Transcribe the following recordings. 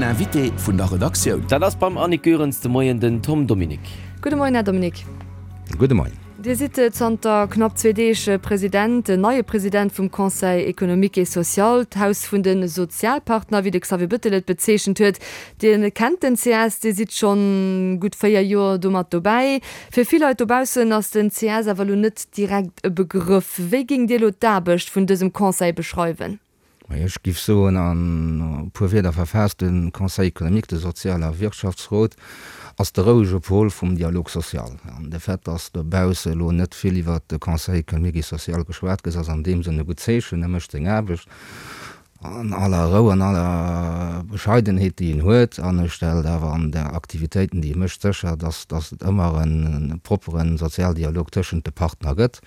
Den Invité vun der Redaktioun. Dat ass beim Annick Goerens de Moien den Tom Dominique. Gudde Moien, Här Dominique. Gudde Moien. Dir sidd zanter knapp zwee Deeg President, den neie President vum Conseil économique et social, d'Haus vun de Sozialpartner, wéi de Xavier Bettel et bezeechent huet. Dir kennt den CS, Dir sidd schonn gutt 4 Joer do mat dobäi. Fir vill Leit dobaussen ass den CS awer elo net direkt e Begrëff. Wéi géingt Dir elo d'Aarbecht vun dësem Conseil beschreiwen? Majo, ech giff soen, an e puer Wierder verfaasst, de Conseil économique, de Sozial a Wirtschaftsrot ass de rouege Pol vum Dialogue social. An de Fait, dass dobausse elo net vill iwwert de Conseil économique et social geschwat gëtt, ass an deem Sënn e gutt Zeechen. E mécht seng Aarbecht an aller Rou, an aller Bescheidenheet, déi en huet, an e stellt awer an de Aktivitéiten, déi e mécht, sécher, dass et ëmmer e proppere Sozialdialog tëschent de Partner gëtt.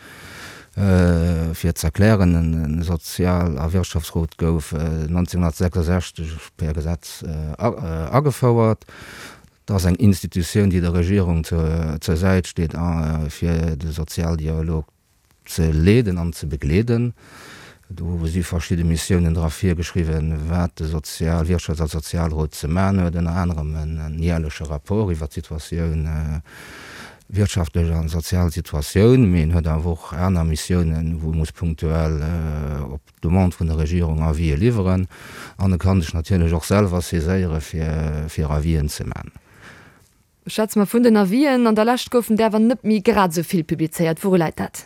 Fir z'erklären, e Sozial a Wirtschaftsrot gouf 1966 per Gesetz agefouert. Et ass eng Institutioun, déi der Regierung zur Säit steet, fir de Sozialdialog ze leeden an ze begleeden. Do si verschidde Missiounen dra virgeschriwwen, wat de Sozial-, Wirtschafts a Sozialrot ze man huet, ënner anerem en jährleche Rapport iwwert d'Situatioun, wirtschaftlech a sozial Situatioun. Mee en huet awer och aner Missiounen, wou e muss punktuell op Demande vun der Regierung Avisë liwweren. An e ka sech natierlech och selwer saiséiere fir Avisen ze man. Schwätze mer vun den Avisen. An der Lescht goufen där awer net méi grad esou vill publizéiert. Wouru läit dat?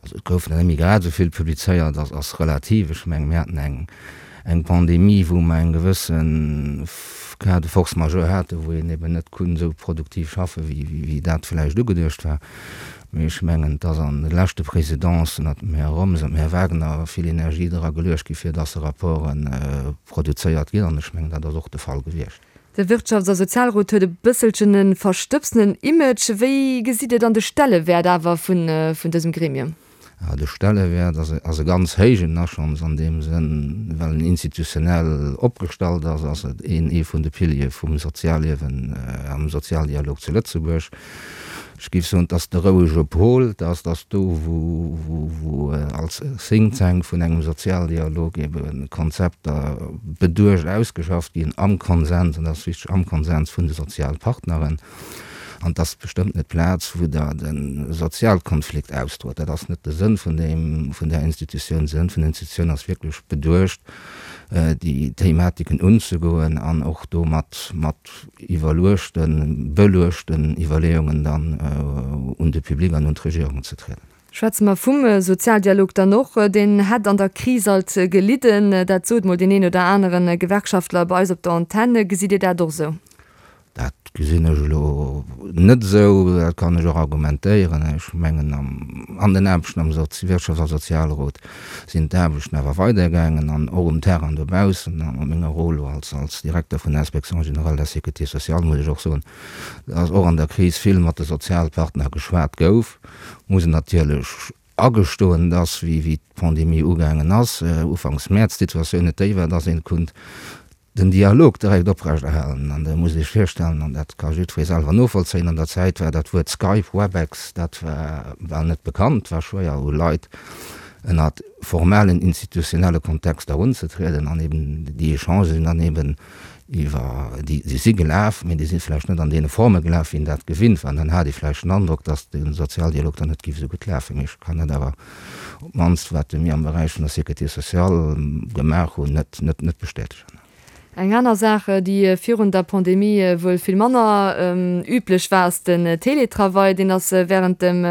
Also et goufen der net méi grad esou vill publizéiert, ass ass relativ. Ech mengen, mir haten eng eng Pandemie, wou mer eng gewësse Cas de force majeure haten, wou een eben net konnt esou produktiv schaffen, wéi wéi dat vläicht ugeduecht war. Mee ech mengen, et ass an de leschte Présidencen, ënnert dem Här Roms an dem Här Wagner, vill Energie dra geluecht gi fir dass Rapporte produzéiert ginn. An ech mengen, dat ass och de Fall gewiescht. De Wirtschafts a Sozialrot huet e bësselchen e verstëbsenen Image. Wéi gesitt Dir dann de Stellewäert awer vun dësem Gremium? De Stellewäert ass e ganz héijen, a schonns an deem Sënn, well en institutionell opgestallt ass, ass et een ee vun de Piliere vum Sozialliewen am Sozialdialog zu Lëtzebuerg. Ech géif soen, et ass de rouege Pol, et ass dass do, wou als Think Tank vun engem Sozialdialog ebe Konzepter beduecht ausgeschafft ginn, am Konsens, an dat ass wichteg, am Konsens vun de Sozialpartneren. An et ass bestëmmt net d'Plaz, wou Der de Sozialkonflikt ausdroet. Dat ass net de Sënn vun deem, vun där Institutioun. De Sënn vun der Institutioun ass wierklech beduecht, déi Thematiken unzegoen an och do mat, mat iwwerluechten, beluechten Iwwerleeungen dann un de Public an un d'Regierung ze trieden. Schwätze mer vum Sozialdialog dann och. Deen hätt an der Kris alt gelidden. Dat sot mol deen een oder anere Gewerkschaftler bei eis op der Antenn. Gesitt Dir dat och esou? Dat gesinn ech elo net esou. Dat kann ech och argumentéieren. Ech mengen, an den Aarbechten am Wirtschafts a Sozialrot sinn d'Aarbechten awer weidergaangen an och um Terrain dobaussen. An a menger Rôle elo als als Direkter vun der Inspection générale de la Sécurité sociale muss ech och soen, dass och an der Kris vill mat de Sozialpartner geschwat gouf. Muss een natierlech agestoen, dass, wéi wéi d'Pandemie ugaangen ass, ufanks Mäerz, d'Situatioun net déi war, dass een konnt den Dialog direkt oprechterhalen. An Der musst Iech virstellen, an dat ka jiddweree selwer novollzéien, an der Zäit war dat Wuert Skype, Webex, dat war bal net bekannt, war schwéier u Leit ënnert formalen institutionelle Kontexter erunzetrieden. An eben déi Echangen sinn dann eben iwwer, déi si gelaf, mee déi si vläicht net an deene Forme gelaf, wéi een dat gewinnt war. An dann hat ee vläicht den Androck, datt de Sozialdialog dann net géif esou gutt lafen. Mee ech kann dat awer op d'mannst wat mir am Beräich vun der Sécurité sociale gemaach hunn, net, net, net bestätegen. Eng aner Saach, déi virun der Pandemie wuel vill manner üblech war, ass den Télétravail. Deen ass wärend dem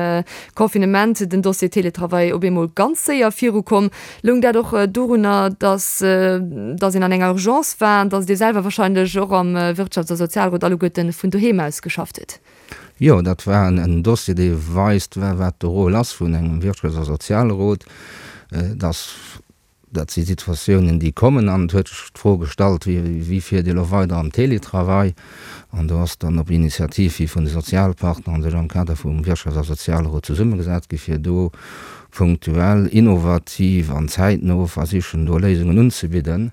Confinement, den Dossier Télétravail, op eemol ganz séier virukomm. Loung dat och dorunner, datt datt een an enger Urgence war an datt Dir selwer warscheinlech och am Wirtschafts a Sozialrot alleguerten vun doheem aus geschafft hutt? Jo, dat war en Dossier, dee weist, wat de Rôle ass vun engem Wirtschafts a Sozialrot. Dass, dat si Situatiounen, déi kommen. An et huet sech d'Fro gestallt, Wéi fiert Dir elo weider am Télétravail? An do ass dann op Initiativ hi vun de Sozialpartner sech am Kader vum Wirtschafts a Sozialrot zesummegesat gi fir do punktuell, innovativ an zäitno versichen, do Léisungen unzebidden.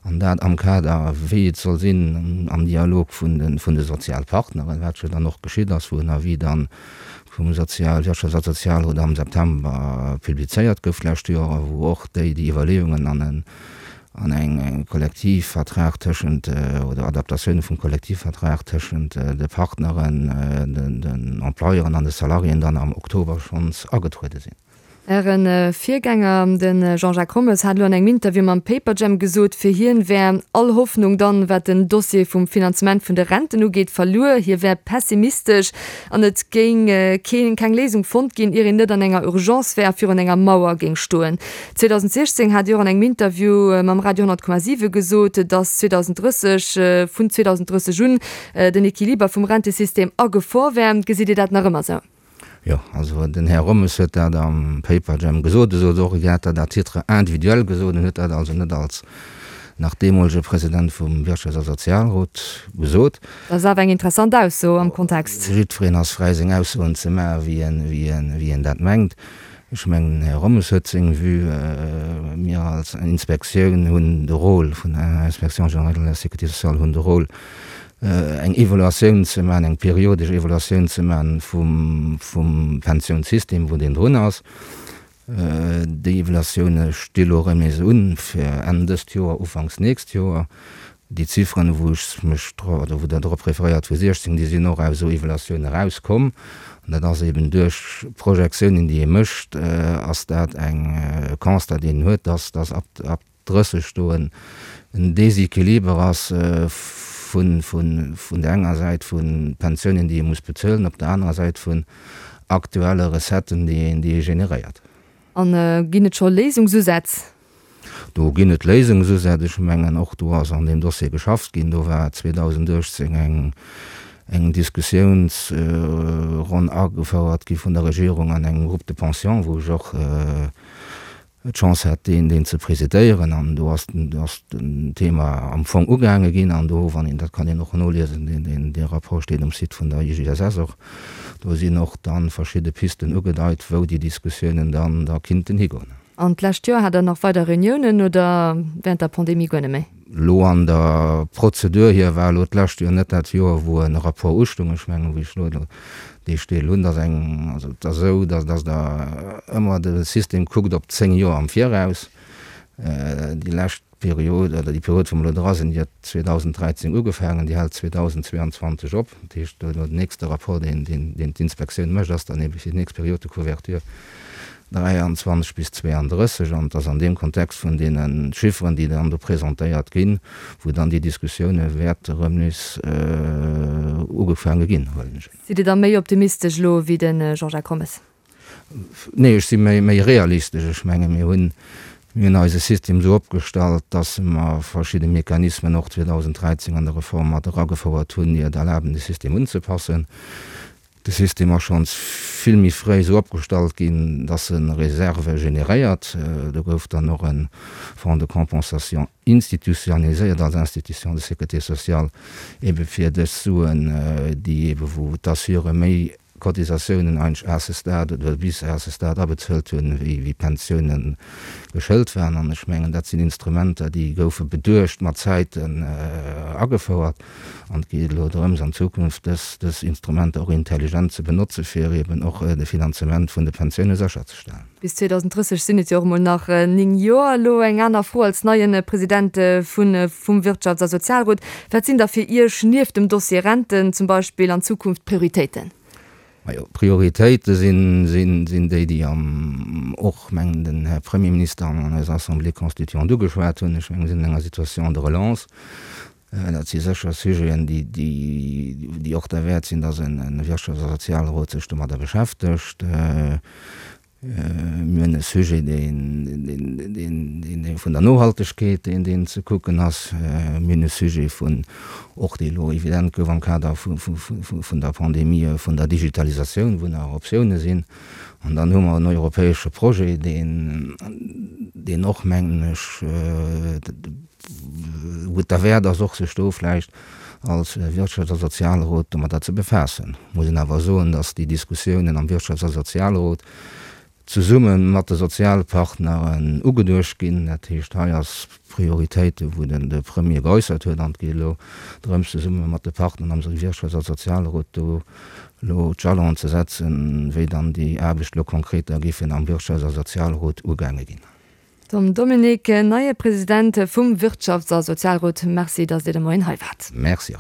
An dat am Kader, wéi et soll sinn, am Dialog vun de Sozialpartneren, wat jo dann och geschitt ass, wou en Avis dann vum Sozial-, Wirtschafts a Sozialrot am September publizéiert gouf d'lescht Joer a wou och déi déi Iwwerleeungen an en. An eng Kollektivvertrag tëschent, oder Adaptatioune vum Kollektivvertrag tëschent de Partneren, den Employeuren an de Salariéen dann am Oktober schonns agetruede sinn. Äre Virgänger, de Jean-Jacques Rommes, hat elo an engem Interview mam Paperjam gesot, fir hien wär all Hoffnung dann, wat den Dossier vum Finanzement vun de Renten ugeet, verluer. Hie wär pessimistesch an et géing keen, keng Léisung fonnt ginn, ier een net an enger Urgence wär a virun enger Mauer géing stoen. 2016 hat Dir och an engem Interview mam Radio 100,7 gesot, datt 2030, vun 2030 un, den Equiliber vum Rentesystem a Gefor wär. Gesitt Dir dat nach ëmmer esou? Jo, also den Här Rommes huet dat am Paperjam gesot. E sot och, hien hätt dat à titre individuel gesot. En huet dat also net als nach deemolege President vum Wirtschafts a Sozialrot gesot. Dat ass awer eng interessant Ausso am Kontext. Jiddwereen ass fräi seng Aussoen ze maachen, wéi en dat mengt. Ech mengen, den Här Rommes huet seng Vue. Mir als Inspektioun hunn de Rôle vun der Inspection générale de la Sécurité sociale hunn de Rôle, eng Evaluatioun ze maachen, eng periodesch Evaluatioun ze maachen vum Pensiounssystem, wou deen drun ass. Déi Evaluatioune sti lo erëm nees un fir Enn dëst Joer, ufanks nächst Joer. Déi Zifferen, wou ech mech dro, oder wou Der drop referéiert, vu 16, déi sinn och aus esou Evaluatiounen erauskomm. An dat ass eben duerch Projektiounen, déi ee mécht, ass dat eng Constat, deen een huet, dass, dass ab, ab 30 do en Déséquiliber ass vun, vun, vun der enger Säit vu Pensiounen, déi ee muss bezuelen, op der anerer Säit vun aktuelle Recetten, déi een, déi ee generéiert. An ginn et scho Léisungsusätz? Do ginn et Léisungsusätz. Ech mengen, och do ass an deem Dossier geschafft ginn. Do war 2018 eng, eng Diskussiounsronn agefouert gi vun der Regierung an engem Groupe de pension, wou ech och d'Chance hat, deen, deen ze presidéieren. An do ass, ass den Thema am Fong ugaange ginn. An do, wann een, dat kann een och noliesen, deen, deen, dee Rapport steet um Site vun der IGSS och, do sinn och da verschidde Pisten ugedeit, wou déi Diskussiounen dann da kinnten higoen. An d'lescht Joer hat der nach weider Reuniounen oder während der Pandemie guer net méi? Elo an der Prozedur hier war elo d'lescht Joer net dat Joer, wou e Rapport ustung. Ech mengen, wéi ech elo dee Steel hunn, dass eng, also et ass esou, dass dass Der ëmmer de System kuckt op 10 Joer am Viraus. Déi lescht Period, oder déi Period, wou mer elo dra sinn, déi huet 2013 ugefaangen, déi hält 2022 op. Dat heescht, elo den nächste Rapport, deen, deen, deen d'Inspektioun mécht, ass dann ebe fir déi nächst Période de couverture 23 bis 32. An et ass an deem Kontext vun deene Chifferen, déi dann do presentéiert ginn, wou dann déi Diskussioune wäerte erëm nees ugefaange ginn, huelen ech un. Sidd Dir da méi optimistesch elo wéi de Jean-Jacques Rommes? Nee, ech si méi, méi realistesch. Ech menge mir hunn, mir hunn eise System esou opgestallt, datt mer verschidde Mechanismen och 2013 an der Reform mat eragefouert hunn, déi et erlaben, de System unzepassen. De System ass schonns vill méi fréi esou opgestallt ginn, datt e Reserve generéiert. Do gouf dann och e Fonds de compensation institutionnaliséiert als Institution de sécurité sociale, ebe fir dës Suen, déi ebe wou d'Assureure méi Cotisatiounen eigentlech à ce stade oder bis à ce stade abezuelt hunn, wéi d'Pensiounen geschëlt waren. An ech mengen, dat sinn Instrumenter, déi goufe beduecht mat Zäiten agefouert. An et geet elo drëms, an Zukunft dës, dës Instrumenter och intelligent ze benotzen, fir eeben och de Finanzement vun de Pensioune sécherzestellen. Bis 2030 sinn et jo och emol nach 9 Joer. Elo eng aner Fro als neie President vun vum Wirtschafts a Sozialrot, Wat sinn da fir Iech nieft dem Dossier Renten zum Beispill an Zukunft d'Prioritéiten? Majo, d'Prioritéite sinn, sinn, sinn déi, déi am och, mengen den Här Premierminister an eiser Assemblée constituante ugeschwat hunn. Ech mengen, mir sinn an enger Situation de relance. Dat si sécher Sujeten, déi, déi, déi och derwäert sinn, dass en Wirtschafts a Sozialrot sech domadder beschäftegt. Mir hunn e Sujet, deen, deen, deen vun der Nohaltegkeet, deen, deen ze kucken ass. Mir hunn e Sujet vun, och dee elo evident gouf am Kader vu, vu, vun der Pandemie, vun der Digitalisatioun, wou nach Optioune sinn. An dann hu mer en europäesche Projet, deen, deen och, mengen ech, wou et derwäert ass, och sech do vläicht als Wirtschafts a Sozialrot domadder ze befaassen. Muss een awer soen, datt déi Diskussiounen am Wirtschafts a Sozialrot zesumme mat de Sozialpartneren ugeduecht ginn. Dat heescht, hei ass Prioritéite wou den de Premier geäussert huet an et geet elo drëms, zesumme mat de Partneren am Wirtschafts a Sozialrot do elo d'Jalonen ze setzen, wéi dann déi Aarbecht elo konkret da géifen am Wirtschafts a Sozialrot ugaange ginn. Tom Dominique, neie President vum Wirtschafts a Sozialrot, Merci, datt Dir de Moien hei waart. Merci och.